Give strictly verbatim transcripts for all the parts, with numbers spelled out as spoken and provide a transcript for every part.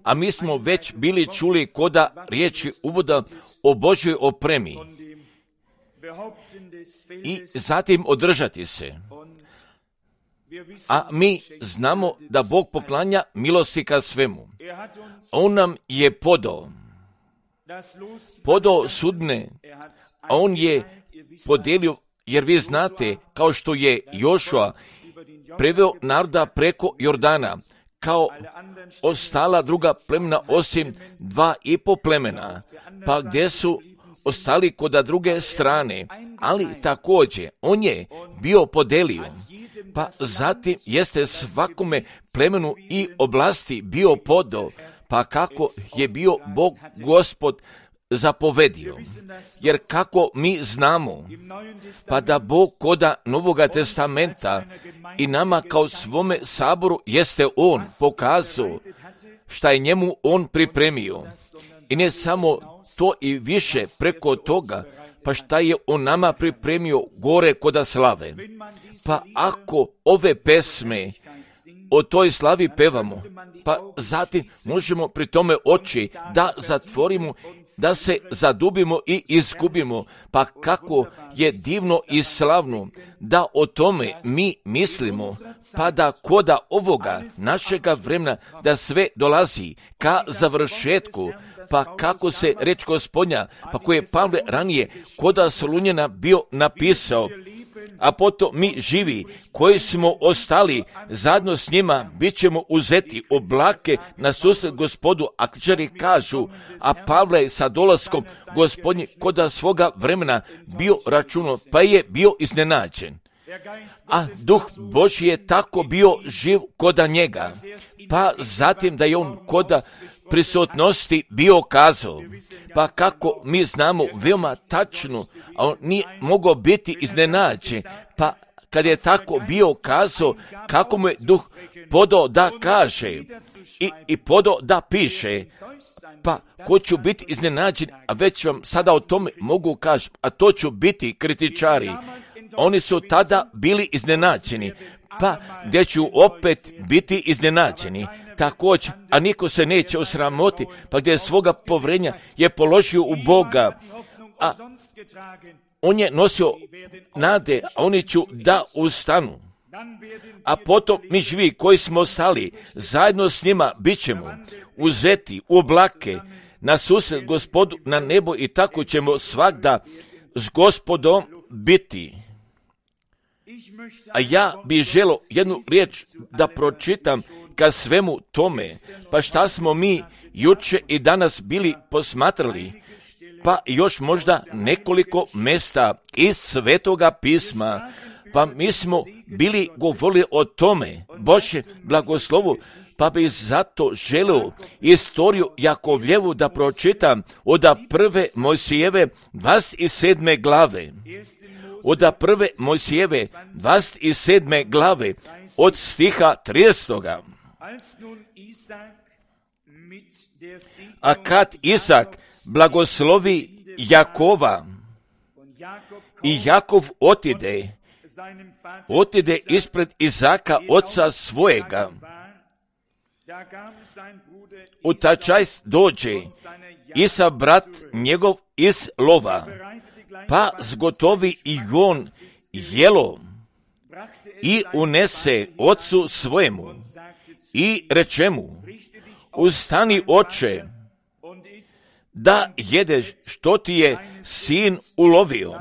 A mi smo već bili čuli koda riječi uvoda o Božoj opremi i zatim održati se. A mi znamo da Bog poklanja milosti ka svemu. On nam je podao, podao sudne, a on je podijelio, jer vi znate, kao što je Jošua preveo naroda preko Jordana, kao ostala druga plemena osim dva i po plemena, pa gdje su ostali kod druge strane, ali također on je bio podelio, pa zatim jeste svakome plemenu i oblasti bio podao, pa kako je bio Bog Gospod zapovedio. Jer kako mi znamo, pa da Bog koda Novoga testamenta i nama kao svome saboru jeste On pokazao šta je njemu On pripremio. I ne samo to i više preko toga, pa šta je On nama pripremio gore koda slave. Pa ako ove pesme o toj slavi pevamo, pa zatim možemo pri tome oči da zatvorimo, da se zadubimo i izgubimo, pa kako je divno i slavno da o tome mi mislimo, pa da koda ovoga našega vremena da sve dolazi ka završetku, pa kako se reč Gospodnja, pa koje je Pavle ranije koda Solunjena bio napisao, a potom mi živi, koji smo ostali zajedno s njima, bit ćemo uzeti oblake na susret Gospodu, a knjižari kažu, a Pavle je sa dolaskom Gospodnji koda svoga vremena bio računo, pa je bio iznenađen. A Duh Božji je tako bio živ koda njega, pa zatim da je on koda prisutnosti bio kazao, pa kako mi znamo veoma tačno, a on nije mogao biti iznenađen, pa kad je tako bio kazao, kako mu je Duh podao da kaže i, i podao da piše, pa ko ću biti iznenađen, a već vam sada o tome mogu kaži, a to ću biti kritičari. Oni su tada bili iznenađeni, pa gdje ću opet biti iznenađeni. Također, a niko se neće osramoti, pa gdje svoga povrenja je položio u Boga, a on je nosio nade, a oni ću da ustanu. A potom mi živi koji smo ostali, zajedno s njima bit ćemo uzeti u oblake na susret Gospodu na nebo i tako ćemo svagda s Gospodom biti. A ja bih želio jednu riječ da pročitam ka svemu tome, pa šta smo mi juče i danas bili posmatrali, pa još možda nekoliko mjesta iz Svetoga pisma, pa mi smo bili govorili o tome, Božje blagoslovu, pa bi zato želio istoriju Jakovljevu da pročitam od prve Mojsijeve dvadeset sedme glave. Od prve Mojsijeve dvadeset sedme glave, od stiha tridesetog. A kad Isak blagoslovi Jakova i Jakov otide, otide ispred Izaka oca svojega, u taj čas dođe Isa brat njegov iz lova, pa zgotovi i on jelo i unese ocu svojemu i reče mu, ustani oče, da jedeš što ti je sin ulovio,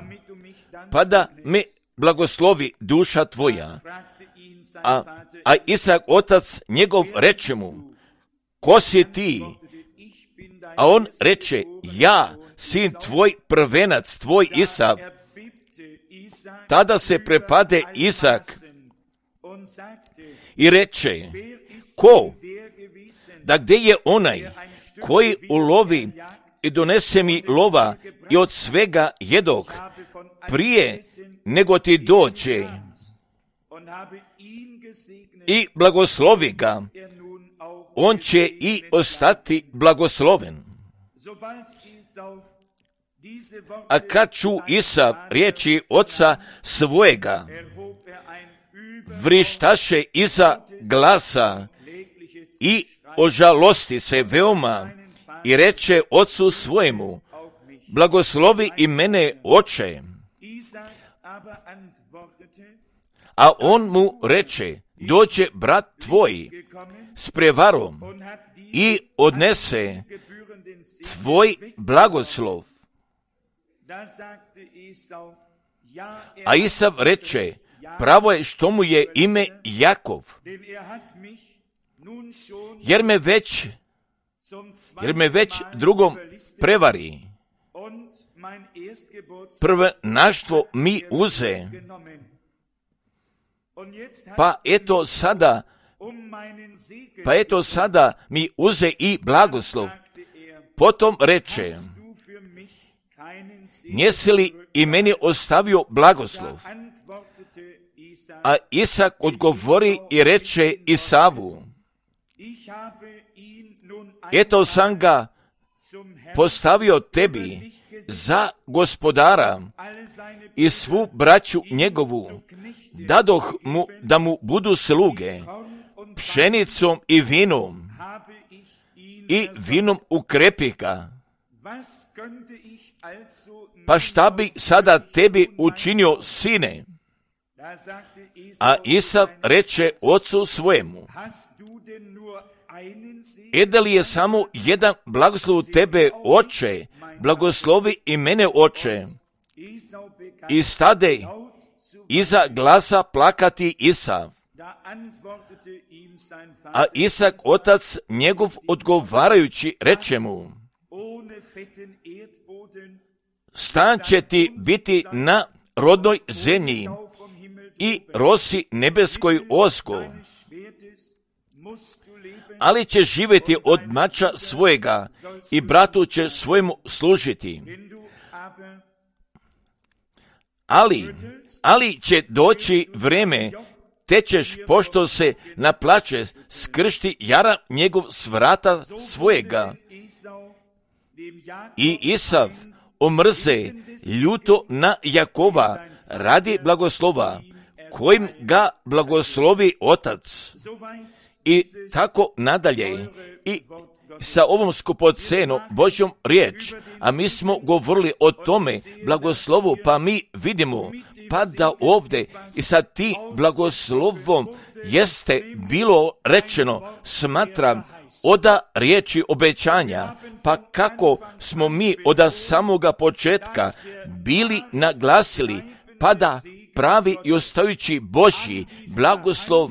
pa da me blagoslovi duša tvoja. A, a Isak otac njegov reče mu, ko si ti? A on reče, ja, sin tvoj, prvenac tvoj Isav. Tada se prepade Isak i reče, ko? Da gdje je onaj koji ulovi i donese mi lova i od svega jedog prije nego ti dođe i blagoslovi ga, on će i ostati blagosloven. A kad ču Isav riječi oca svojega, vrištaše iza glasa i ožalosti se veoma i reče ocu svojemu, blagoslovi i mene, oče. A on mu reče, dođe brat tvoj s prevarom i odnese tvoj blagoslov. A Isav reče, pravo je što mu je ime Jakov, jer me već, jer me već drugom prevari. Prvenaštvo mi uze, pa eto sada, pa eto sada mi uze i blagoslov. Potom reče, njesi li i meni ostavio blagoslov? A Isak odgovori i reče Isavu, eto sam ga postavio tebi za gospodara i svu braću njegovu, dadoh mu da mu budu sluge, pšenicom i vinom, i vinom ukrepih ga. Pa šta bi sada tebi učinio, sine? A Isav reče ocu svojemu, e da li je samo jedan blagoslov tebe, oče, blagoslovi i mene, oče. I stade iza glasa plakati Isav. A Isak, otac njegov, odgovarajući, reče mu, stan će ti biti na rodnoj zemlji i rosi nebeskoj osko, ali će živjeti od mača svojega i bratu će svojemu služiti. Ali, ali će doći vreme, te ćeš, pošto se naplače, skršti jara njegov s vrata svojega. I Isav omrze ljuto na Jakova radi blagoslova, kojim ga blagoslovi otac. I tako nadalje. I sa ovom skupocenom Božjom riječ, a mi smo govorili o tome blagoslovu, pa mi vidimo, pa da ovdje i sa ti blagoslovom jeste bilo rečeno, smatram, oda riječi obećanja, pa kako smo mi od samoga početka bili naglasili, pa da pravi i ostajući Božji blagoslov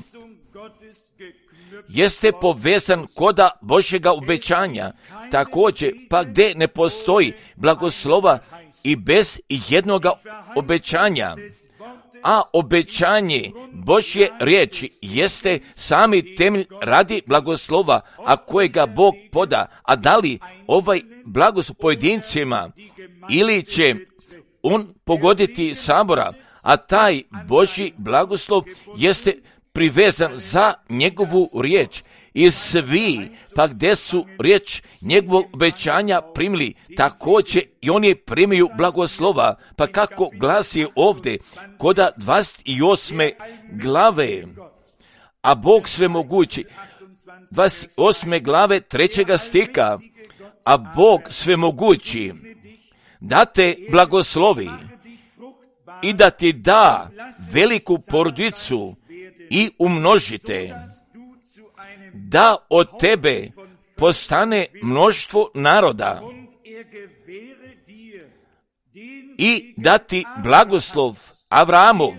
jeste povezan koda Božjega obećanja, također pa gdje ne postoji blagoslova i bez jednoga obećanja. A obećanje Božje riječi jeste sami temelj radi blagoslova, a kojega Bog poda. A da li ovaj blagoslov pojedincima ili će on pogoditi sabora, a taj Božji blagoslov jeste privezan za njegovu riječ. I svi, pa gdje su riječ njegovog obećanja primili, također i oni primiju blagoslova. Pa kako glasi ovdje, koda dvadeset osme glave, a Bog svemogući, dvadeset osme glave trećega stiha, a Bog svemogući, da te blagoslovi i da ti da veliku porodicu i umnožite, da od tebe postane mnoštvo naroda i da ti blagoslov Avramov,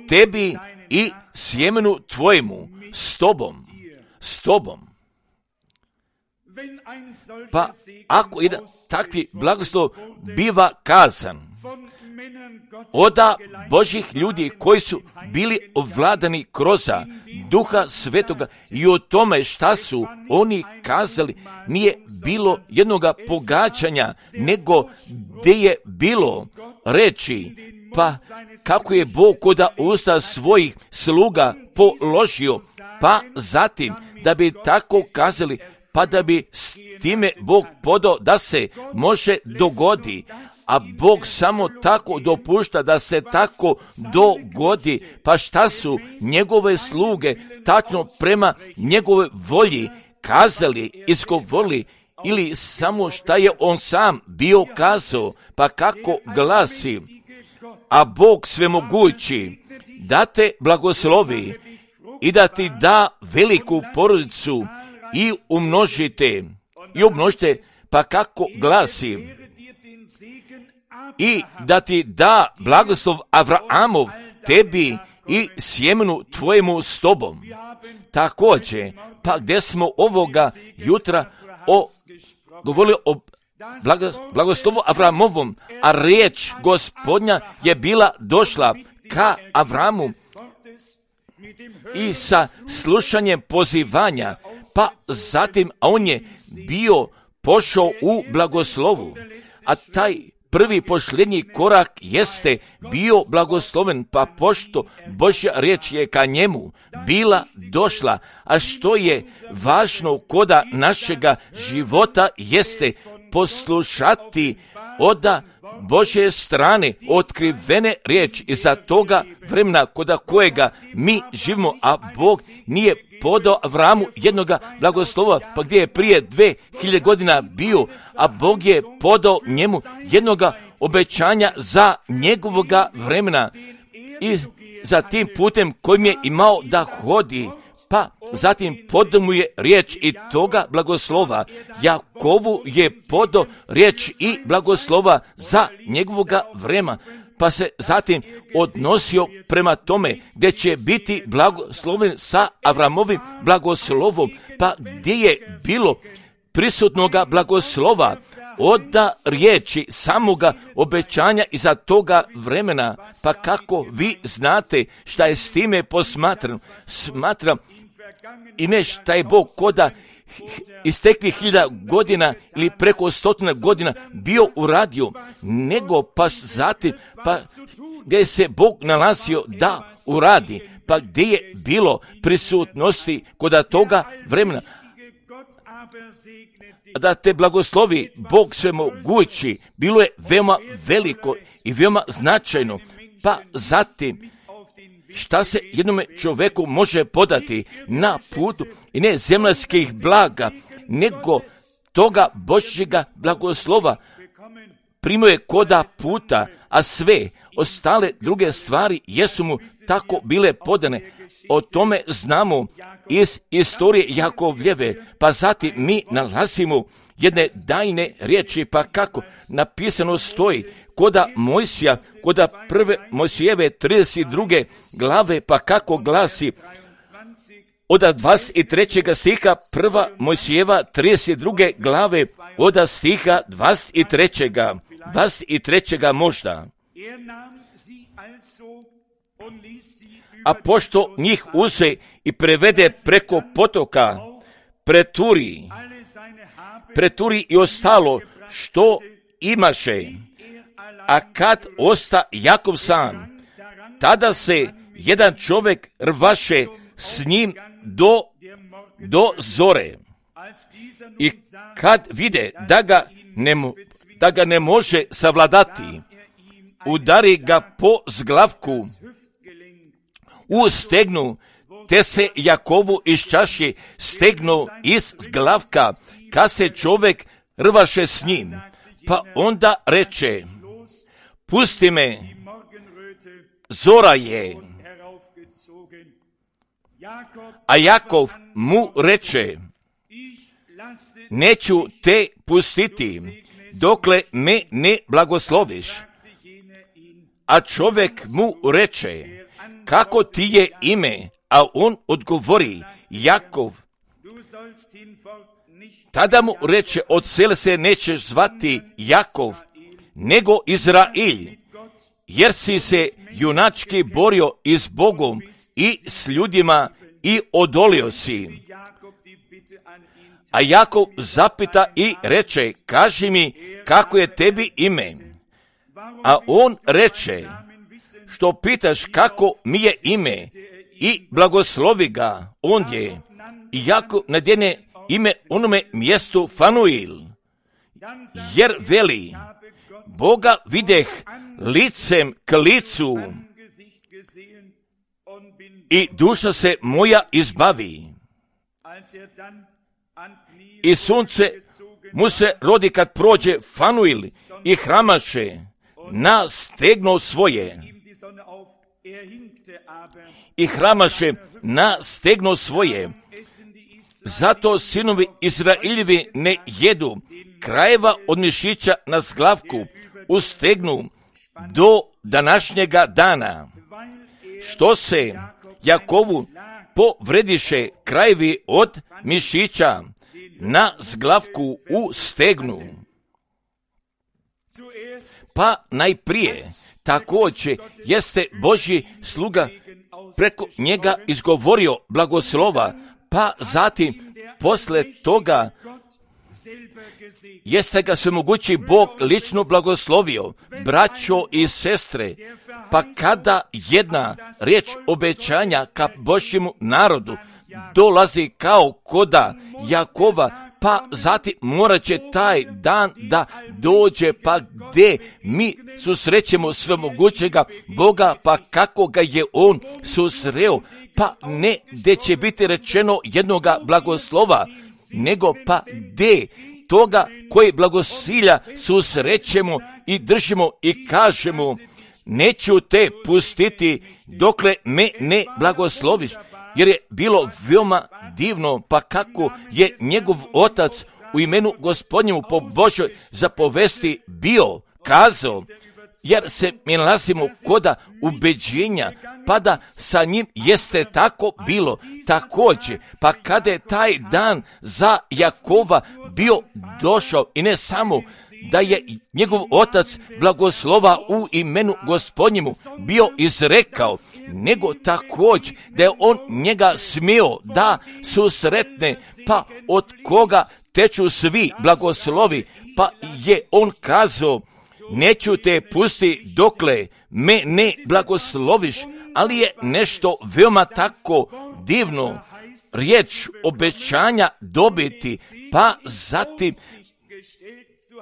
tebi i sjemenu tvojemu, s tobom, s tobom. Pa ako jedan takvi blagoslov biva kazan oda Božih ljudi koji su bili ovladani kroz Duha Svetoga i o tome šta su oni kazali, nije bilo jednoga pogađanja, nego gdje je bilo reči, pa kako je Bog koda usta svojih sluga položio, pa zatim da bi tako kazali, pa da bi s time Bog podao da se može dogodi, a Bog samo tako dopušta da se tako dogodi. Pa šta su njegove sluge tačno prema njegove volji kazali, izgovorili, ili samo šta je on sam bio kazao, pa kako glasi, a Bog svemogući da te blagoslovi i da ti da veliku porodicu i umnožite, i umnožite, pa kako glasi, i da ti da blagoslov Avraamov, tebi i sjemenu tvojemu s tobom. Također, pa gdje smo ovoga jutra o, govorili o blagoslovu Avramovom, a riječ Gospodnja je bila došla ka Avramu i sa slušanjem pozivanja, pa zatim on je bio pošao u blagoslovu, a taj prvi posljednji korak jeste bio blagosloven, pa pošto Božja riječ je ka njemu bila došla, a što je važno koda našega života jeste poslušati oda Božje strane otkrivene riječi iza toga vremena koda kojega mi živimo, a Bog nije podao Avramu jednoga blagoslova, pa gdje je prije dve hiljade godina bio, a Bog je podao njemu jednoga obećanja za njegovoga vremena i za tim putem kojim je imao da hodi, pa zatim podao mu je riječ i toga blagoslova. Jakovu je podao riječ i blagoslova za njegovoga vremena, pa se zatim odnosio prema tome gdje će biti blagosloven sa Avramovim blagoslovom, pa gdje je bilo prisutnoga blagoslova oda riječi samoga obećanja iza toga vremena, pa kako vi znate šta je s time posmatrano. Smatram i ne šta je Bog koda istekli hiljada godina ili preko stotina godina bio uradio, nego pa zatim pa gdje se Bog nalazio da uradi, pa gdje je bilo prisutnosti koda toga vremena, da te blagoslovi Bog svemogući, bilo je veoma veliko i veoma značajno, pa zatim šta se jednome čovjeku može podati na putu i ne zemaljskih blaga, nego toga Božjega blagoslova primio je koda puta, a sve ostale druge stvari jesu mu tako bile podane. O tome znamo iz istorije Jakovljeve, pa zatim mi nalazimo jedne dajne riječi, pa kako napisano stoji koda Mojsija, koda prve Mojsijeve trideset druge glave, pa kako glasi od dvadeset trećeg stiha prva Mojsijeva trideset druge glave od stiha dvadeset trećeg dvadeset trećeg možda. A pošto njih uze i prevede preko potoka, preturi, preturi i ostalo što imaše, a kad osta Jakov sam, tada se jedan čovjek rvaše s njim do, do zore. I kad vide da ga ne, da ga ne može savladati, udari ga po zglavku u stegnu, te se Jakovu iz čaše stegnu iz zglavka, kad se čovjek rvaše s njim. Pa onda reče, pusti me, zora je. A Jakov mu reče, neću te pustiti, dokle me ne blagosloviš. A čovjek mu reče, kako ti je ime? A on odgovori, Jakov. Tada mu reče, od sela se nećeš zvati Jakov, nego Izrail, jer si se junački borio i s Bogom i s ljudima i odolio si. A Jakov zapita i reče, kaži mi kako je tebi ime. A on reče, što pitaš kako mi je ime, i blagoslovi ga ondje. I Jakov nadjene ime onome mjestu Fanuil, jer veli, Boga videh licem k licu i duša se moja izbavi. i sunce mu se rodi kad prođe Fanuil i hramaše na stegno svoje. I hramaše na stegno svoje. Zato sinovi Izrailjevi ne jedu krajeva od mišića na zglavku u stegnu do današnjega dana. Što se Jakovu povrediše krajevi od mišića na zglavku u stegnu. Pa najprije također jeste Božji sluga preko njega izgovorio blagoslova, pa zatim posle toga jeste ga svemogući Bog lično blagoslovio, braćo i sestre, pa kada jedna riječ obećanja ka Božjemu narodu dolazi kao koda Jakova, pa zatim morat će taj dan da dođe, pa gdje mi susrećemo svemogućega Boga, pa kako ga je on susreo, pa ne gdje će biti rečeno jednoga blagoslova, nego pa gdje toga koji blagosilja susrećemo i držimo i kažemo, neću te pustiti dokle me ne blagosloviš. Jer je bilo veoma divno, pa kako je njegov otac u imenu Gospodnjemu po Božoj zapovesti bio kazao, jer se mi nalazimo koda ubeđenja, pa da sa njim jeste tako bilo također, pa kada je taj dan za Jakova bio došao i ne samo da je njegov otac blagoslova u imenu Gospodnjemu bio izrekao, nego također da je on njega smio da susretne, pa od koga teču svi blagoslovi, pa je on kazao, neću te pusti dokle me ne blagosloviš, ali je nešto veoma tako divno, riječ obećanja dobiti, pa zatim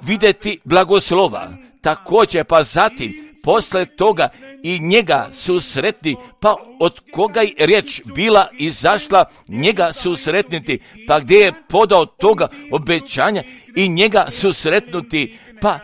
vidjeti blagoslova, također pa zatim posle toga i njega susretni, pa od koga je riječ bila izašla, njega susretniti, pa gdje je podao toga obećanja i njega susretnuti, pa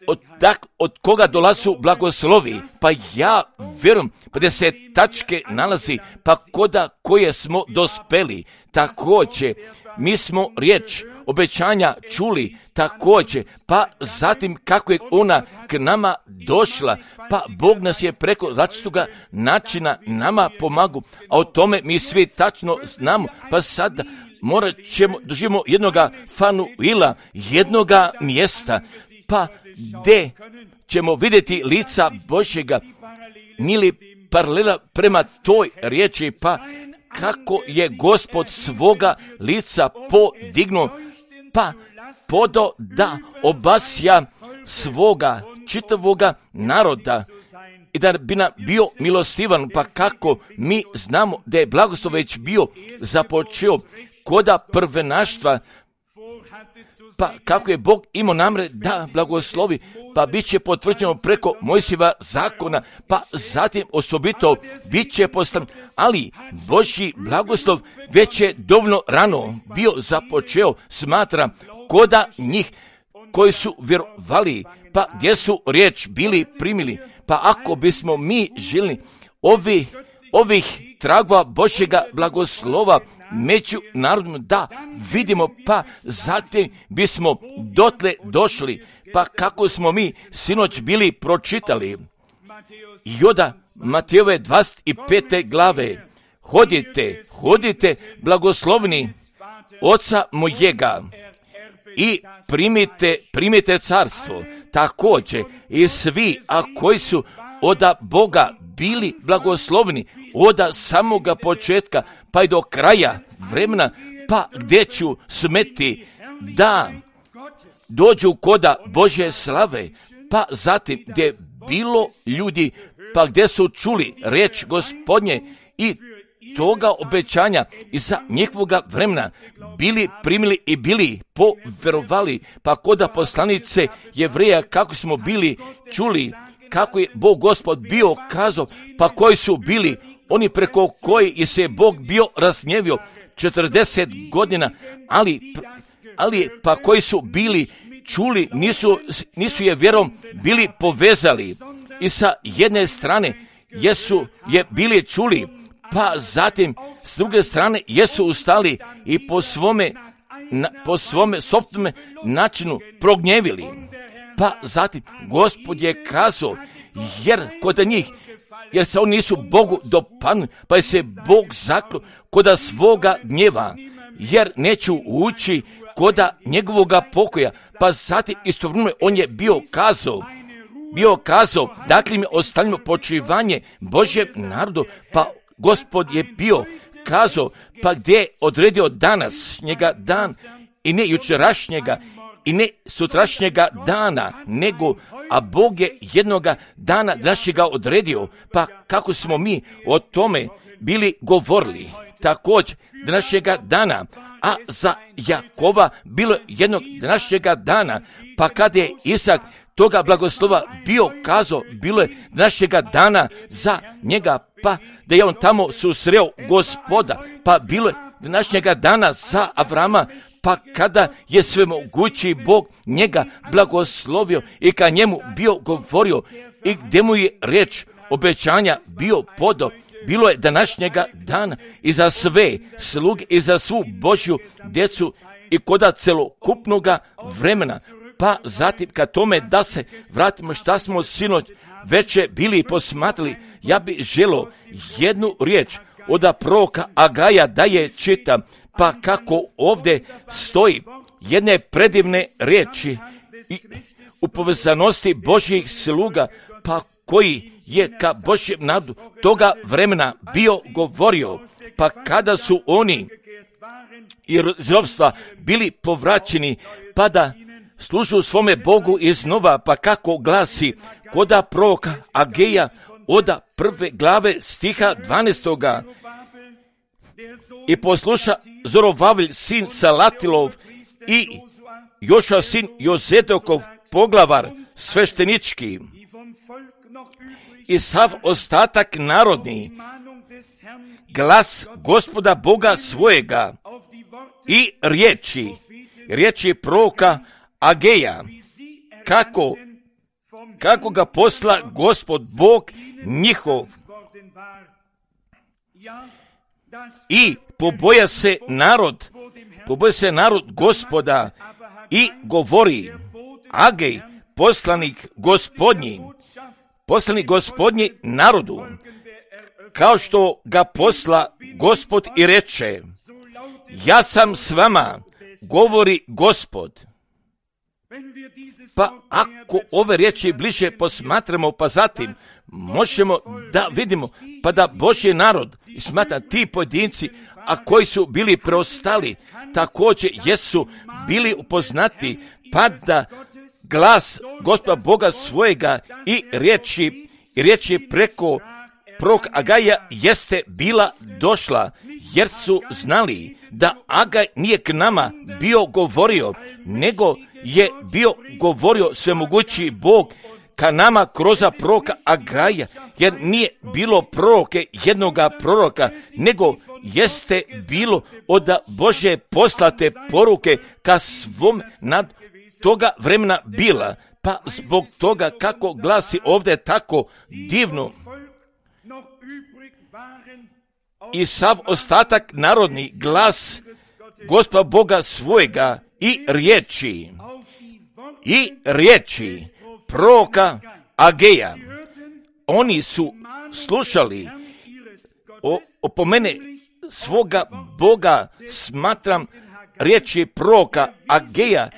od, tak, od koga dolazu blagoslovi, pa ja vjerujem, pa da se tačke nalazi, pa koda koje smo dospeli, također mi smo riječ obećanja čuli također, pa zatim kako je ona k nama došla, pa Bog nas je preko različitoga načina nama pomagu, a o tome mi svi tačno znamo, pa sada morat ćemo doživimo jednoga Fanuila, jednoga mjesta, pa gdje ćemo vidjeti lica Božjega, nili paralela prema toj riječi, pa kako je Gospod svoga lica podignuo, pa podo da obasja svoga čitavoga naroda i da bi nam bio milostivan, pa kako mi znamo da je blagoslov već bio započeo koda prvenaštva, pa kako je Bog imao namre da blagoslovi, pa bit će potvrđeno preko Mojsijeva zakona, pa zatim osobito bit će postavljen, ali Božji blagoslov već je dovoljno rano bio započeo, smatra, koda njih koji su vjerovali, pa gdje su riječ bili primili, pa ako bismo mi žili ovi, ovih tragova Božjega blagoslova među narodom da vidimo, pa zatim bismo dotle došli, pa kako smo mi sinoć bili pročitali Joda Matejove dvadeset pete glave, hodite, hodite blagoslovni oca mojega i primite, primite carstvo, također i svi, a koji su oda Boga bili blagoslovni oda samoga početka pa i do kraja vremena, pa gdje ću smeti da dođu koda Božje slave, pa zatim gdje je bilo ljudi, pa gdje su čuli riječ Gospodnje i toga obećanja i za njihovoga vremena bili primili i bili poverovali, pa koda poslanice Jevreja kako smo bili čuli, kako je Bog Gospod bio kazao, pa koji su bili oni preko koji je se Bog bio razgnjevio četrdeset godina, ali, ali pa koji su bili čuli, nisu, nisu je vjerom bili povezali i sa jedne strane jesu je bili čuli, pa zatim s druge strane jesu ustali i po svome, na, po svome sopstvenome načinu prognjevili. Pa zatim Gospod je kazao, jer kod njih, jer se oni nisu Bogu dopadnuli, pa je se Bog zaklo koda svoga gnjeva, jer neću ući koda njegovoga pokoja. Pa zatim istovremeno on je bio kazao, bio kazao, dakle mi ostavimo počivanje Božjem narodu, pa Gospod je bio kazao, pa gdje je odredio danas njega dan i ne jučerašnjega i ne sutrašnjega dana, nego, a Bog je jednoga dana našega odredio, pa kako smo mi o tome bili govorili, također današnjega dana, a za Jakova bilo jednog današnjega dana, pa kada je Isak toga blagoslova bio kazao, bilo je današnjega dana za njega, pa da je on tamo susreo Gospoda, pa bilo je današnjega dana za Avrama, pa kada je svemogući Bog njega blagoslovio i ka njemu bio govorio i gdje mu je riječ obećanja bio podao, bilo je današnjega dana i za sve sluge i za svu Božju djecu i koda celokupnoga vremena. Pa zatim kad tome da se vratimo šta smo sinoć veće bili posmatrali, ja bi želio jednu riječ od proroka Agaja da je čitam, pa kako ovdje stoji jedne predivne riječi i u povezanosti Božjih sluga, pa koji je ka Božjem narodu toga vremena bio govorio, pa kada su oni iz ropstva bili povraćeni, pa da služu svome Bogu iznova, pa kako glasi koda proroka Ageja od prve glave stiha dvanaestoga. I posluša Zorovavilj sin Salatilov i Joša sin Jozedokov poglavar sveštenički i sav ostatak narodni glas Gospoda Boga svojega i riječi, riječi proroka Ageja, kako, kako ga posla Gospod Bog njihov. I poboja se narod, poboja se narod Gospoda i govori, Agej, poslanik Gospodnji, poslanik Gospodnji narodu, kao što ga posla Gospod i reče, ja sam s vama, govori Gospod. Pa ako ove riječi bliže posmatramo, pa zatim možemo da vidimo, pa da Božji narod, smatra ti pojedinci, a koji su bili preostali, također jesu bili upoznati, pa da glas Gospoda Boga svojega i riječi, i riječi preko prorok Agaja jeste bila došla, jer su znali da Agaj nije k nama bio govorio, nego je bio govorio svemogući Bog ka nama kroz proroka Agaja, jer nije bilo proroke jednoga proroka, nego jeste bilo od Božje poslate poruke ka svom nad toga vremena bila. Pa zbog toga kako glasi ovdje tako divno, i sav ostatak narodni glas Gospoda Boga svojega i riječi, i riječi proroka Ageja. Oni su slušali o, o po mene svoga Boga, smatram riječi proroka Ageja,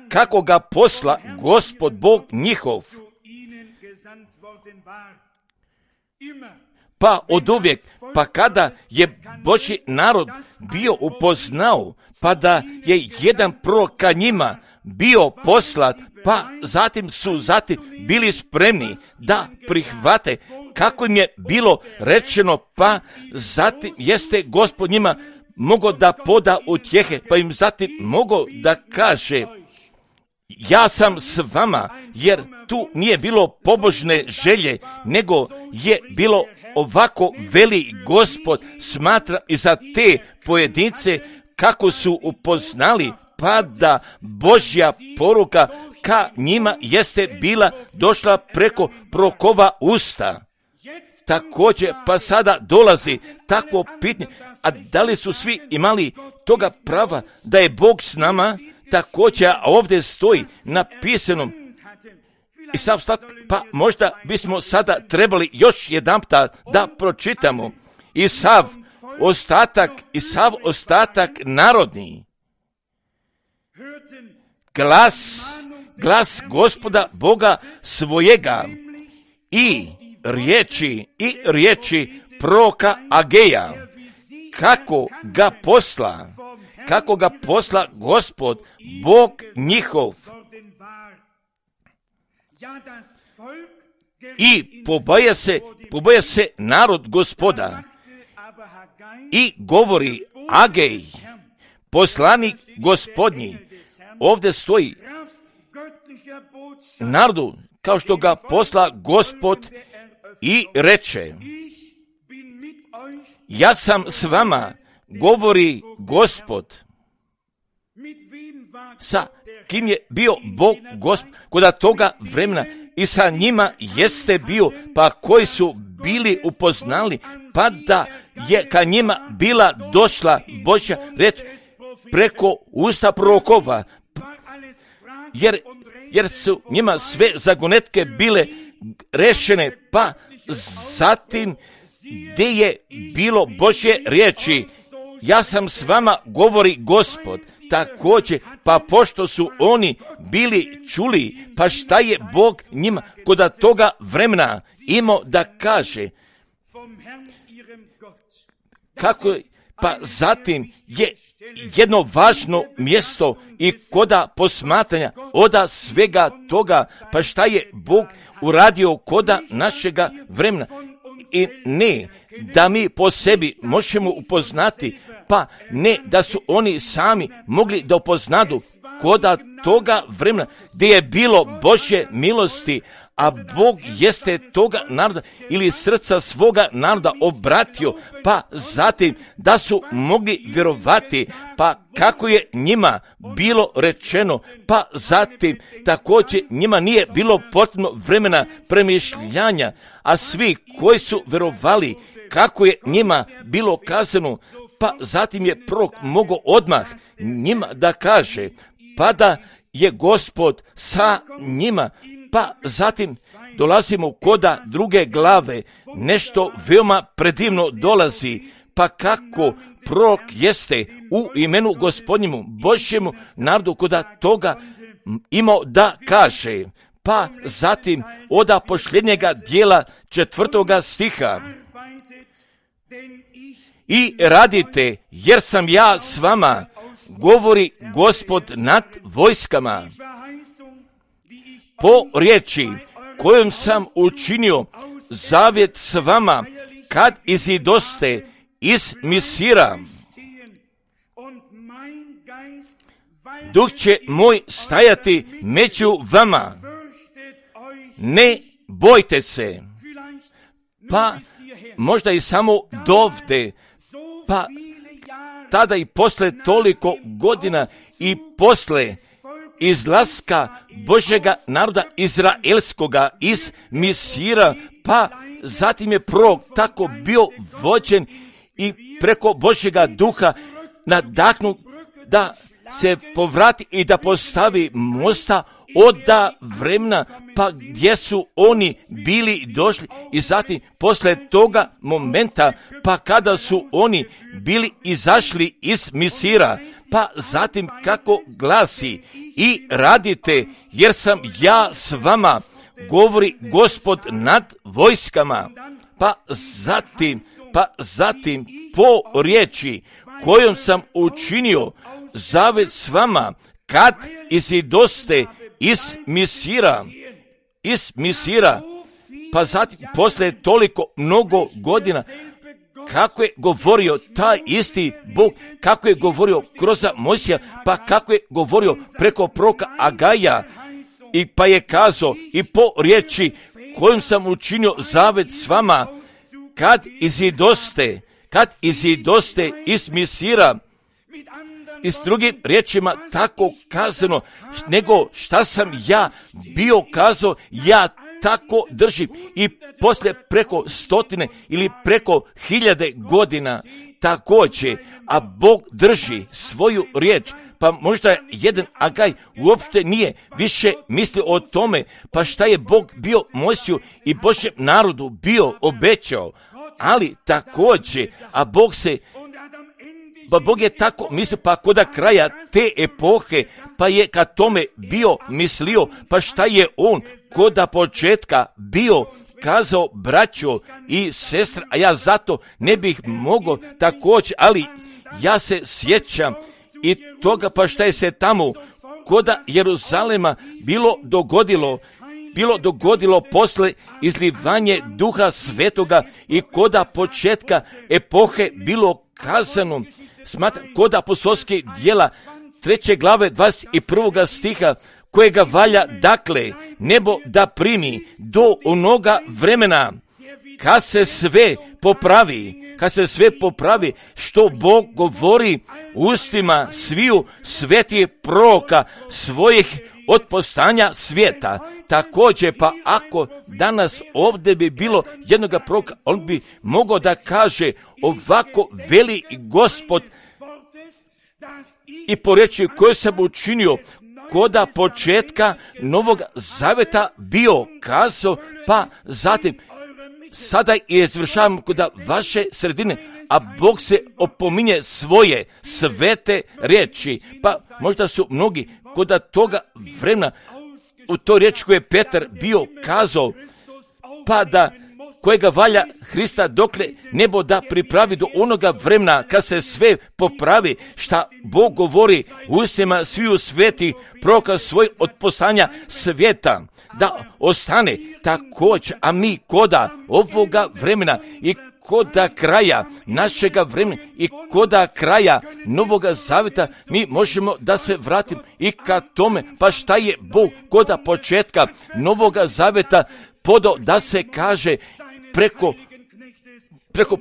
kako ga posla Gospod Bog njihov. Pa od uvijek, pa kada je Božji narod bio upoznao, pa da je jedan prorok ka njima bio poslat, pa zatim su zatim bili spremni da prihvate kako im je bilo rečeno, pa zatim jeste Gospod njima mogao da poda utjehe, pa im zatim mogao da kaže, ja sam s vama, jer tu nije bilo pobožne želje, nego je bilo ovako veli Gospod smatra i za te pojedince kako su upoznali, pa da Božja poruka ka njima jeste bila došla preko prorokova usta. Također, pa sada dolazi takvo pitanje, a da li su svi imali toga prava da je Bog s nama? Također, a ovdje stoji napisano, i sav stat, pa možda bismo sada trebali još jedanputa da pročitamo i sav ostatak, i sav ostatak narodni. Glas, glas Gospoda Boga svojega i riječi, i riječi proroka Ageja, kako ga posla, kako ga posla Gospod, Bog njihov. I poboja se, poboja se narod Gospoda. I govori Agej, poslanik Gospodnji. Ovdje stoji narodu, kao što ga posla Gospod, i reče, ja sam s vama, govori Gospod. Sa kim je bio Bog Gospod kod toga vremena i sa njima jeste bio, pa koji su bili upoznali, pa da je ka njima bila došla Božja reč preko usta prorokova, jer, jer su njima sve zagonetke bile rešene, pa zatim gdje je bilo Božje riječi, ja sam s vama, govori Gospod. Također, pa pošto su oni bili čuli, pa šta je Bog njima kod toga vremena imao da kaže, kako, pa zatim je jedno važno mjesto i koda posmatranja oda svega toga, pa šta je Bog uradio koda našega vremena. I ne da mi po sebi možemo upoznati, pa ne da su oni sami mogli da upoznadu koda toga vremena gdje je bilo Božje milosti, a Bog jeste toga naroda ili srca svoga naroda obratio, pa zatim da su mogli vjerovati, pa kako je njima bilo rečeno, pa zatim također njima nije bilo potrebno vremena premišljanja, a svi koji su vjerovali kako je njima bilo kazano, pa zatim je prorok mogao odmah njima da kaže, pa da je Gospod sa njima. Pa zatim dolazimo koda druge glave, nešto veoma predivno dolazi, pa kako prorok jeste u imenu Gospodnjemu Božjemu narodu koda toga imao da kaže, pa zatim oda posljednjega dijela četvrtoga stiha, i radite, jer sam ja s vama, govori Gospod nad vojskama, po riječi kojom sam učinio zavjet s vama, kad izidoste iz Misira. Duh će moj stajati među vama, ne bojte se. Pa možda i samo dovde, pa tada i posle toliko godina i posle izlaska Božjega naroda izraelskoga iz Misira, pa zatim je prorok tako bio vođen i preko Božjega duha nadahnut da se povrati i da postavi mosta od vremena, pa gdje su oni bili došli, i zatim posle toga momenta, pa kada su oni bili izašli iz Misira, pa zatim kako glasi, i radite, jer sam ja s vama, govori Gospod nad vojskama. Pa zatim, pa zatim po riječi kojom sam učinio zavjet s vama, kad izidoste iz Misira, iz Misira, pa zatim posle toliko mnogo godina, kako je govorio taj isti Bog, kako je govorio kroz Mojsija, pa kako je govorio preko proroka Agaja, i pa je kazao i po riječi kojom sam učinio zavet s vama, kad izidoste, kad izidoste iz Misira. I s drugim riječima tako kazano, nego šta sam ja bio kazao, ja tako držim. I poslije preko stotine ili preko hiljade godina također, a Bog drži svoju riječ. Pa možda jedan Agaj uopšte nije više mislio o tome, pa šta je Bog bio Mojsiju i Božjem narodu bio obećao. Ali također, a Bog se Pa Bog je tako mislio, pa kod kraja te epohe, pa je ka tome bio mislio, pa šta je on kod početka bio kazao, braćo i sestre, a ja zato ne bih mogao također, ali ja se sjećam i toga, pa šta je se tamo kod Jeruzalema bilo dogodilo, bilo dogodilo posle izlivanje Duha Svetoga i koda početka epohe bilo kazano, smatram, kod apostolskih djela treće glave dvadeset prvog stiha, kojega valja dakle nebo da primi do onoga vremena kad se sve popravi, kad se sve popravi što Bog govori ustima sviju svetih proroka svojih od postanja svijeta. Također, pa ako danas ovdje bi bilo jednoga proroka, on bi mogao da kaže ovako veli Gospod i po riječi koju sam učinio koda početka Novog Zaveta bio kazao, pa zatim sada je izvršavam kod vaše sredine, a Bog se opominje svoje svete riječi. Pa možda su mnogi kod toga vremena u toj riječi koje je Petar bio kazao, pa da kojega valja Hrista dokle nebo da pripravi do onoga vremena kad se sve popravi, šta Bog govori u ustima sviju svetih proroka svoj od poslanja svijeta, da ostane također, a mi koda ovoga vremena i koda kraja našega vremena i koda kraja Novoga Zaveta mi možemo da se vratimo i ka tome, pa šta je Bog koda početka Novoga Zaveta podao da se kaže preko preko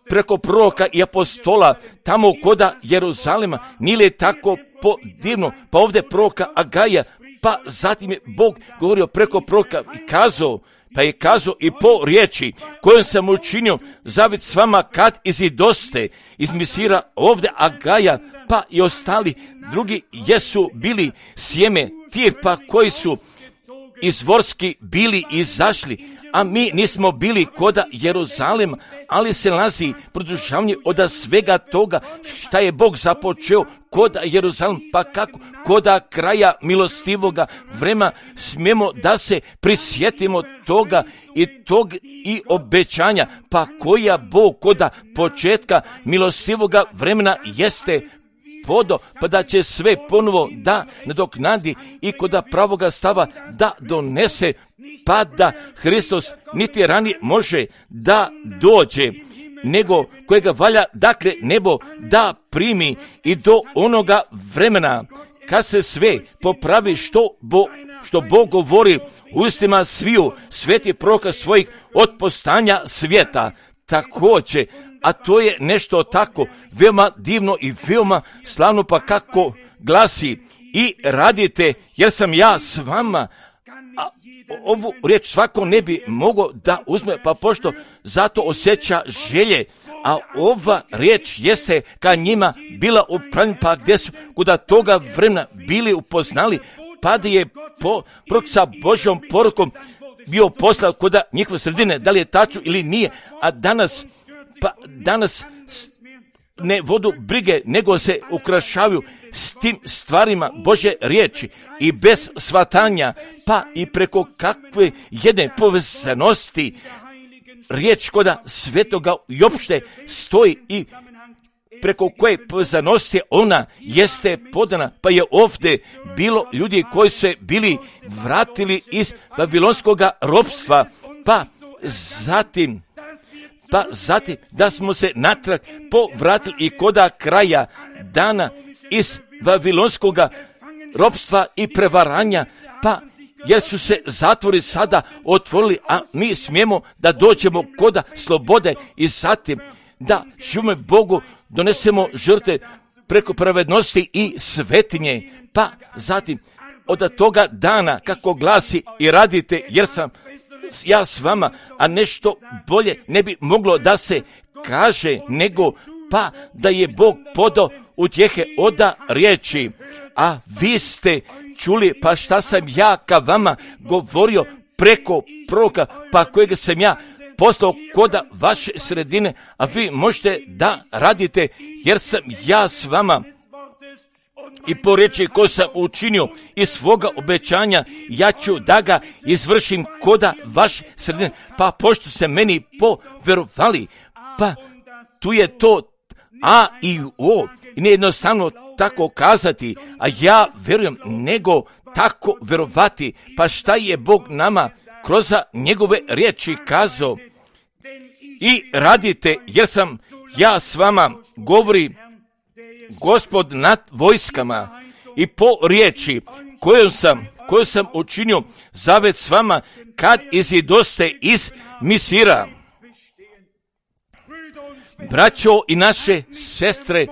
preko proroka i apostola tamo koda Jeruzalema, nije li tako po divno, pa ovdje proroka Agaja, pa zatim je Bog govorio preko proroka i kazao, pa je kazao i po riječi kojom sam učinio zavet s vama kad izidoste iz Misira, ovdje Agaja, pa i ostali drugi jesu bili sjeme tirpa koji su izvorski bili izašli, a mi nismo bili koda Jeruzalema, ali se nalazi produžavanje od svega toga šta je Bog započeo koda Jeruzalema, pa kako koda kraja milostivoga vremena smijemo da se prisjetimo toga i tog i obećanja, pa koja Bog koda početka milostivoga vremena jeste podo, pa da će sve ponovo da nadoknadi i koda pravoga stava da donese, pa da Hristos niti ranije može da dođe, nego kojega valja dakle nebo da primi i do onoga vremena kad se sve popravi što, bo, što Bog govori u ustima sviju svetih proroka svojih od postanja svijeta. Također, a to je nešto tako veoma divno i veoma slavno, pa kako glasi i radite jer sam ja s vama. A ovu riječ svako ne bi mogao da uzme, pa pošto zato osjeća želje, a ova riječ jeste ka njima bila upravljena, pa gdje su kuda toga vremena bili upoznali, pa da je po, prok sa Božjom porukom bio poslao kuda njihove sredine, da li je tačno ili nije, a danas pa danas ne vodu brige, nego se ukrašavaju s tim stvarima Božje riječi i bez shvatanja, pa i preko kakve jedne povezanosti riječ koda svetoga i opšte stoji i preko koje povezanosti ona jeste podana, pa je ovdje bilo ljudi koji su se bili vratili iz babilonskog ropstva, pa zatim pa zatim da smo se natrag povratili i koda kraja dana iz vavilonskoga ropstva i prevaranja, pa jer su se zatvori sada otvorili, a mi smijemo da dođemo koda slobode i zatim da živimo Bogu, donesemo žrtve preko pravednosti i svetinje, pa zatim od toga dana kako glasi i radite jer sam ja s vama, a nešto bolje ne bi moglo da se kaže nego pa da je Bog podao utjehe oda riječi, a vi ste čuli pa šta sam ja ka vama govorio preko proroka, pa kojeg sam ja poslao koda vaše sredine, a vi možete da radite jer sam ja s vama. I po riječi koju sam učinio iz svoga obećanja, ja ću da ga izvršim koda vaše sredine, pa pošto se meni poverovali, pa tu je to A i O, i nije jednostavno tako kazati, a ja verujem, nego tako verovati, pa šta je Bog nama kroz njegove riječi kazao, i radite, jer sam ja s vama, govori Gospod nad vojskama, i po riječi koju sam, koju sam učinio zavet s vama, kad izidoste iz Misira. Braćo i naše sestre,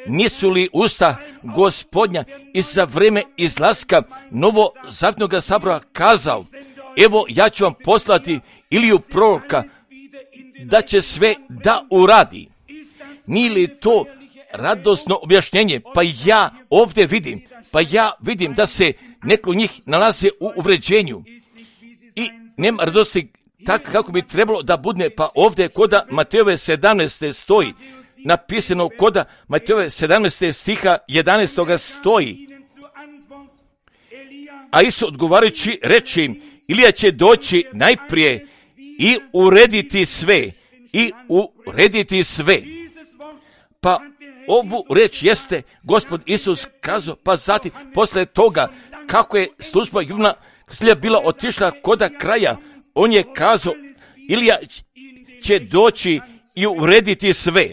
nisu li usta Gospodnja i za vrijeme izlaska novozavjetnog sabora kazao, evo ja ću vam poslati Iliju proroka da će sve da uradi. Nije li to radosno objašnjenje? Pa ja ovdje vidim, pa ja vidim da se neko njih nalaze u uvređenju i nema radosti tako kako bi trebalo da bude, pa ovdje koda Matejove sedamnaeste stoji, napisano koda Matejove sedamnaeste stiha jedanaestog stoji, a Isus odgovarajući reče im, Ilija će doći najprije i urediti sve, i urediti sve. Pa ovu reč jeste Gospod Isus kazao, pa zatim posle toga kako je služba Jovana Krstitelja bila otišla koda kraja, on je kazao, Ilija će doći i urediti sve.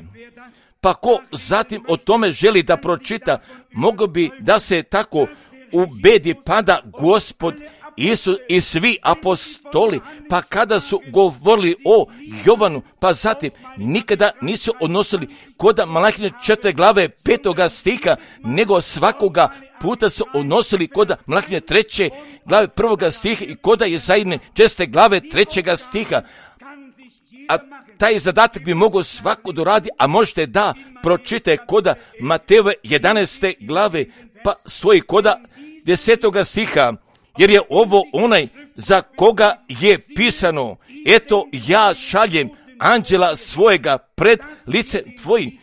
Pa ko zatim o tome želi da pročita, mogo bi da se tako ubedi, pa da Gospod Isus i svi apostoli, pa kada su govorili o Jovanu, pa zatim nikada nisu odnosili koda Malahijine četvrte glave petoga stiha, nego svakoga puta su odnosili koda Malahijine treće glave prvoga stiha i koda Jesaijine četvrte glave trećega stiha. A taj zadatak bi mogao svako doradi, a možete da pročite koda Matejove jedanaeste glave, pa stoji koda desetoga stiha, jer je ovo onaj za koga je pisano, eto ja šaljem anđela svojega pred lice tvojim,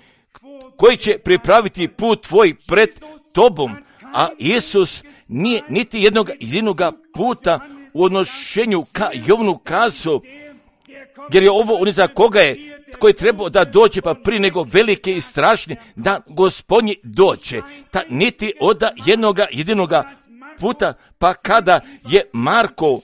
koji će pripraviti put tvoj pred tobom. A Isus nije niti jednog jedinoga puta u odnošenju ka Jovanu kazao, jer je ovo on za koga je, koji treba da dođe, pa prije nego velike i strašne da Gospodnji dođe, ta niti od jednoga jedinoga puta. Pa kada je Marko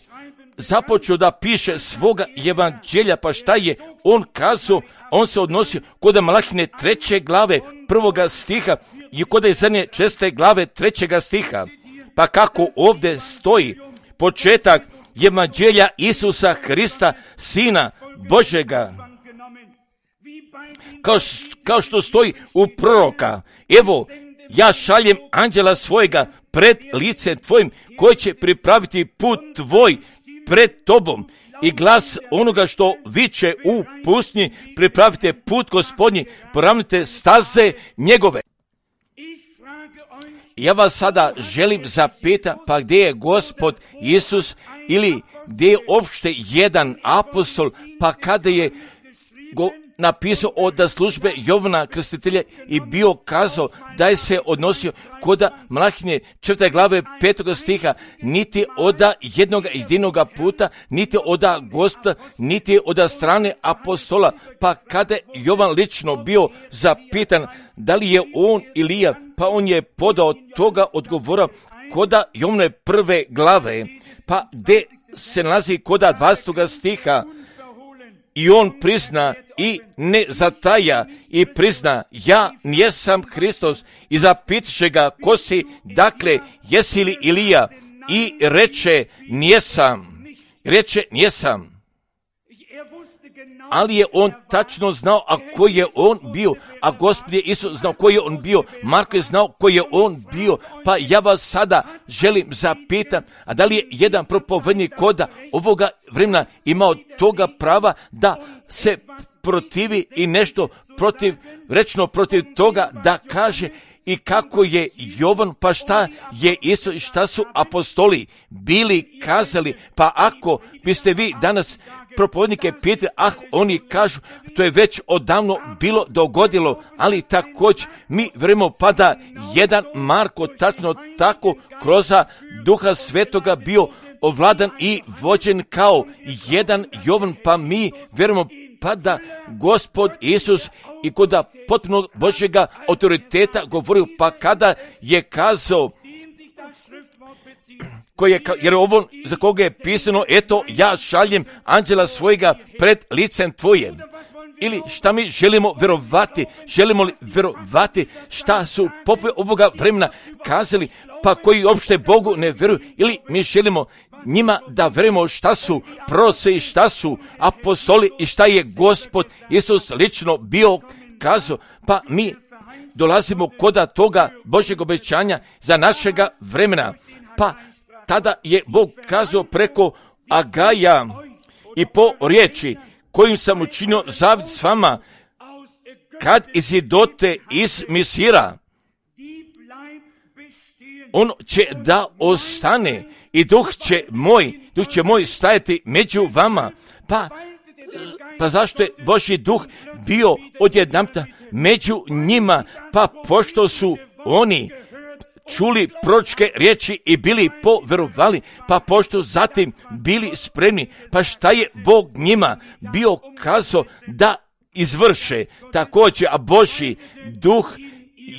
započeo da piše svoga evanđelja, pa šta je on kazao, on se odnosio kod Malahijine treće glave prvoga stiha i kod Jesaijine četvrte glave trećega stiha. Pa kako ovdje stoji početak evanđelja Isusa Hrista, Sina Božega, kao, kao što stoji u proroka, evo ja šaljem anđela svojega pred licem tvojim, koji će pripraviti put tvoj pred tobom, i glas onoga što viče u pustinji, pripravite put Gospodnji, poravnite staze njegove. Ja vas sada želim zapita, pa gdje je Gospod Isus, ili gdje je opšte jedan apostol, pa kada je go napisao od službe Jovana Krstitelja i bio kazao da je se odnosio koda Malahijine četvrte glave petoga stiha, niti od jednog jedinoga puta, niti od Gospoda, niti od strane apostola. Pa kada je Jovan lično bio zapitan da li je on Ilija, pa on je podao toga odgovora koda Jovane prve glave, pa gdje se nalazi koda dvadestog stiha, i on prizna i ne zataja i prizna, ja nijesam Hristos, i zapitaše ga, ko si, dakle, jesi li Ilija, i reče, nijesam, reče, nijesam. Ali je on tačno znao, a koji je on bio, a Gospod je Isus znao koji je on bio, Marko je znao koji je on bio, pa ja vas sada želim zapitam, a da li je jedan propovednik koda ovoga vremena imao toga prava da se protivi i nešto protiv, rečno protiv toga da kaže, i kako je Jovan, pa šta je isto i šta su apostoli bili kazali, pa ako biste vi danas propovednike pitali, ah, oni kažu, to je već odavno bilo dogodilo, ali također mi vremo pa da jedan Marko tačno tako kroz Duha Svetoga bio ovladan i vođen kao jedan Jovan, pa mi vjerujemo pa da Gospod Isus i kod potpunog Božjega autoriteta govorio, pa kada je kazao, koje, jer ovo za koga je pisano, eto ja šaljem anđela svojega pred licem tvoje. Ili šta mi želimo vjerovati, želimo li vjerovati šta su popovi ovoga vremena kazali, pa koji uopšte Bogu ne vjeruju, ili mi želimo njima da vjerujemo šta su proroci i šta su apostoli i šta je Gospod Isus lično bio kazao, pa mi dolazimo koda toga Božjeg obećanja za našega vremena. Pa tada je Bog kazao preko Agaja i po riječi kojim sam učinio zavid s vama, kad izidote iz Misira, on će da ostane i duh će moj, duh će moj stajati među vama. Pa, pa zašto je Božji duh bio odjedanputa među njima? Pa pošto su oni čuli proročke riječi i bili povjerovali, pa pošto zatim bili spremni, pa šta je Bog njima bio kazao da izvrše također, a Božji duh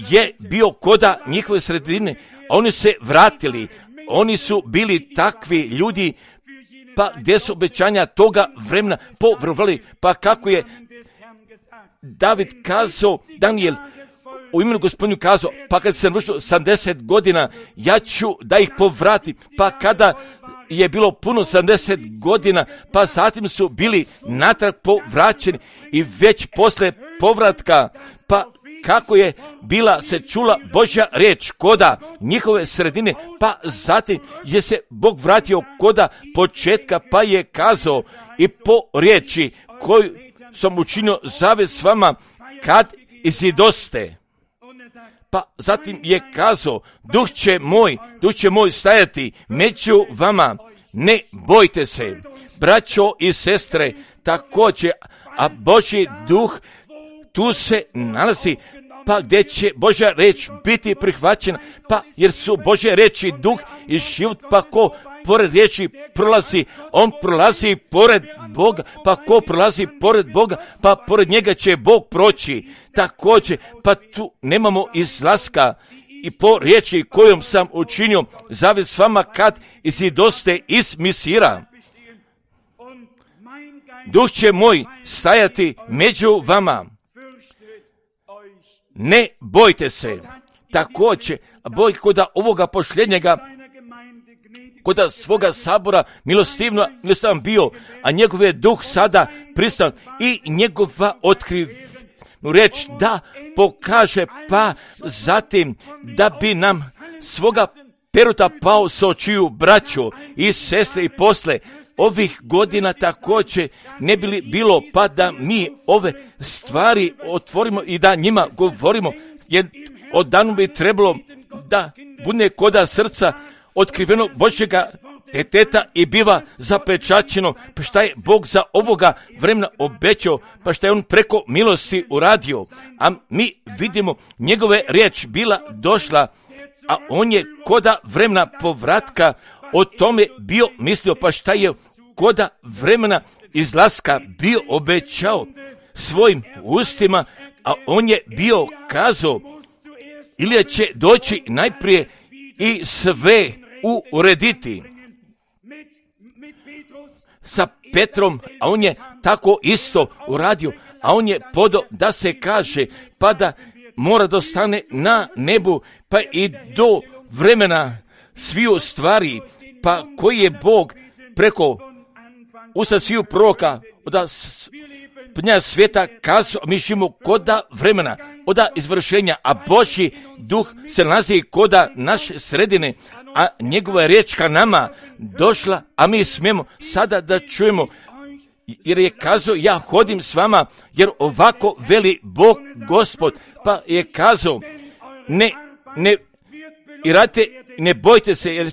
je bio koda njihove sredine, oni se vratili, oni su bili takvi ljudi, pa gdje su obećanja toga vremena povjerovali, pa kako je David kazao, Daniel u imenu Gospodinu kazao, pa kad sam vršio sedamdeset godina, ja ću da ih povratim, pa kada je bilo puno sedamdeset godina, pa zatim su bili natrag povraćeni i već posle povratka, pa kako je bila se čula Božja riječ koda njihove sredine, pa zatim je se Bog vratio koda početka, pa je kazao i po riječi koju sam učinio zavjet s vama kad izidoste. Pa zatim je kazao, duh će moj, duh će moj stajati među vama, ne bojte se. Braćo i sestre, također, a Božji duh tu se nalazi, pa gdje će Božja reč biti prihvaćena, pa jer su Božje reči duh i život, pa ko pored riječi prolazi, on prolazi pored Boga, pa ko prolazi pored Boga, pa pored njega će Bog proći. Također, pa tu nemamo izlaska i po riječi kojom sam učinio zavjet s vama kad izidoste iz Misira. Duh će moj stajati među vama. Ne bojte se. Također, boj koda ovoga posljednjega, koda svoga sabora milostivno sam bio, a njegov je duh sada pristan i njegova otkrivnu reč da pokaže, pa zatim da bi nam svoga peruta pao sa očiju braćo i sestre i posle ovih godina također ne bi li bilo pa da mi ove stvari otvorimo i da njima govorimo, jer od danu bi trebalo da bude koda srca otkriveno Božjega deteta i biva zapečaćeno, pa šta je Bog za ovoga vremena obećao, pa šta je on preko milosti uradio, a mi vidimo njegove riječ bila došla, a on je koda vremena povratka o tome bio mislio, pa šta je koda vremena izlaska bio obećao svojim ustima, a on je bio kazao, ili će doći najprije i sve urediti sa Petrom, a on je tako isto uradio, a on je podo da se kaže, pa da mora da ostane na nebu, pa i do vremena sviju stvari, pa koji je Bog preko usta sviju proroka, oda pnja svijeta kazao, mi živimo koda vremena, oda izvršenja, a Božji duh se nalazi koda naše sredine, a njegova je riječ ka nama došla, a mi smijemo sada da čujemo, jer je kazao, ja hodim s vama, jer ovako veli Bog Gospod, pa je kazao, ne, ne, i radite, ne bojte se, jer,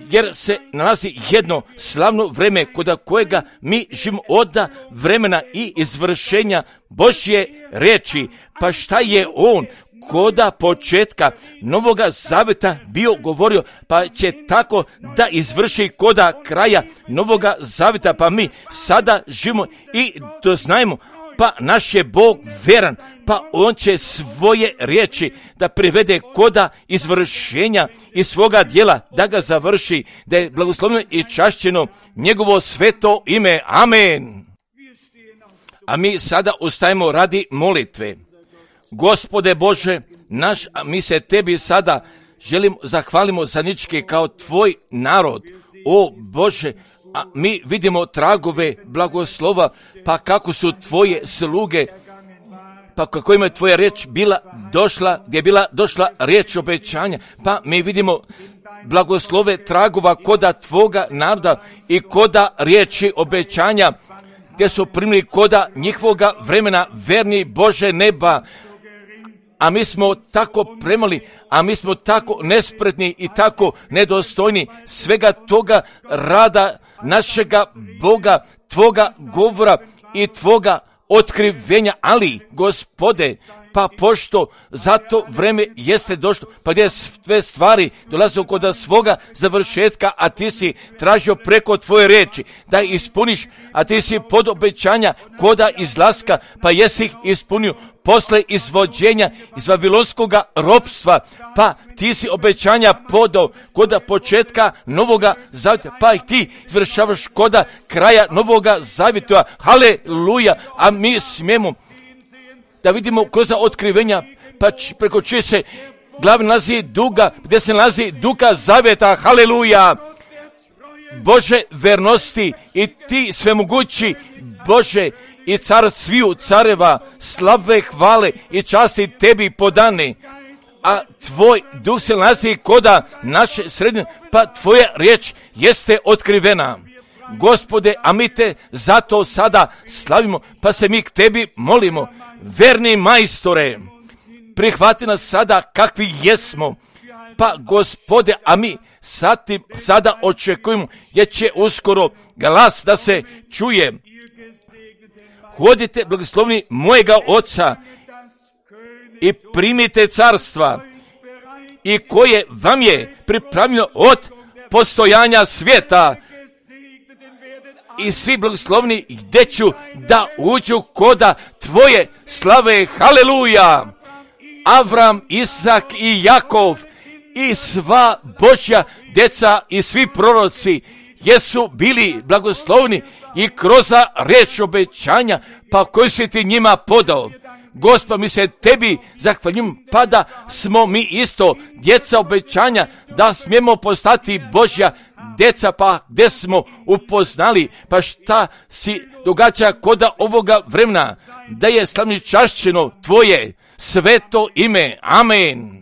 jer se nalazi jedno slavno vreme koda kojega mi živimo od vremena i izvršenja Božje riječi. Pa šta je on koda početka Novoga Zaveta bio govorio, pa će tako da izvrši koda kraja Novoga Zaveta, pa mi sada živimo i doznajemo, pa naš je Bog veran, pa on će svoje riječi da privede koda izvršenja i svoga djela, da ga završi, da je blagosloveno i čašćeno njegovo sveto ime. Amen. A mi sada ustajemo radi molitve. Gospode Bože naš, a mi se tebi sada želimo, zahvalimo zaničke kao tvoj narod. O Bože, a mi vidimo tragove blagoslova, pa kako su tvoje sluge, pa kako ima tvoja riječ bila došla, gdje je bila došla riječ obećanja, pa mi vidimo blagoslove tragova koda tvoga naroda i koda riječi obećanja, gdje su primili koda njihovoga vremena, verni Bože neba. A mi smo tako premali, a mi smo tako nespretni i tako nedostojni svega toga rada našega Boga, tvoga govora i tvoga otkrivenja, ali Gospode, pa pošto za to vreme jeste došlo, pa gdje sve stvari dolaze kod svoga završetka, a ti si tražio preko tvoje riječi da ispuniš, a ti si pod obećanja koda izlaska, pa jesi ih ispunio posle izvođenja iz vavilonskoga ropstva, pa ti si obećanja podao koda početka Novoga Zavjeta, pa ih ti izvršavaš koda kraja Novoga Zavjeta. Haleluja, a mi smijemo da vidimo kroz otkrivenja, pa č, preko čije se glavi nalazi duga, gdje se nalazi duga zavjeta. Haleluja, Bože vernosti i ti svemogući Bože i car sviju careva, slave, hvale i časti tebi podane, a tvoj duh se nalazi koda naše sredine, pa tvoja riječ jeste otkrivena. Gospode, a mi te zato sada slavimo, pa se mi k tebi molimo. Verni majstore, prihvati nas sada kakvi jesmo, pa Gospode, a mi satim, sada očekujemo, jer će uskoro glas da se čuje. Hodite blagoslovni mojega Oca i primite carstva i koje vam je pripravljeno od postojanja svijeta. I svi blagoslovni gdje ću da uđu koda tvoje slave. Haleluja. Avram, Isak i Jakov i sva Božja djeca i svi proroci jesu bili blagoslovni i kroz riječ obećanja, pa koji si ti njima podao. Gospod, mi se tebi zahvaljujemo, pa da smo mi isto djeca obećanja, da smijemo postati Božja djeca, pa gdje smo upoznali, pa šta si događa koda ovoga vremena, da je slavni čašćeno tvoje sveto ime. Amen.